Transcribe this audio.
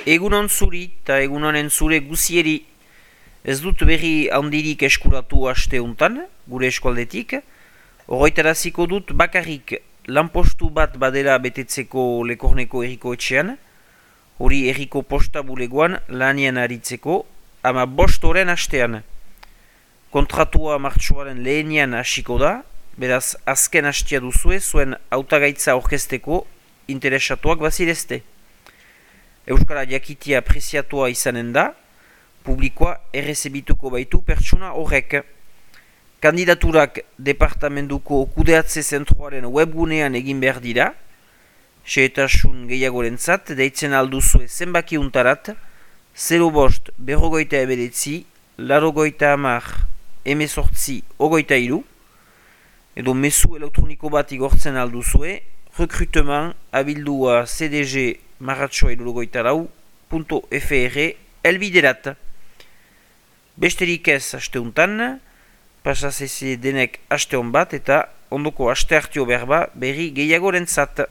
Egunon zuri eta egunonen zure guzieri. Ez dut berri handirik eskuratu aste untan, gure eskualdetik. Oroitaraziko dut bakarrik lanpostu bat badela betetzeko Lekorneko erriko etxean. Hori erriko posta bulegoan lanian aritzeko, ama 5 horren hastean. Kontratua martxoaren lehenian hasiko da, beraz azken hastia duzue zuen hautagaitza orkesteko interesatuak bazirezte. Euskara jakitia preziatua izanen da, publikoa errezebituko baitu pertsona horrek. Kandidaturak departamentuko kudeatze zentroaren webgunean egin behar dira, xehetasun gehiagorentzat deitzen alduzue zenbaki untarat, 05 berrogeita eberetzi, larogeita hamar, 18 edo mezu elektroniko bat igortzen alduzue, recrutement abildua cdg marratxoa .fr elbiderat. Besterik ez asteuntan, pasazeze denek aste hon bat eta ondoko aste hartio berba berri gehiagorentzat.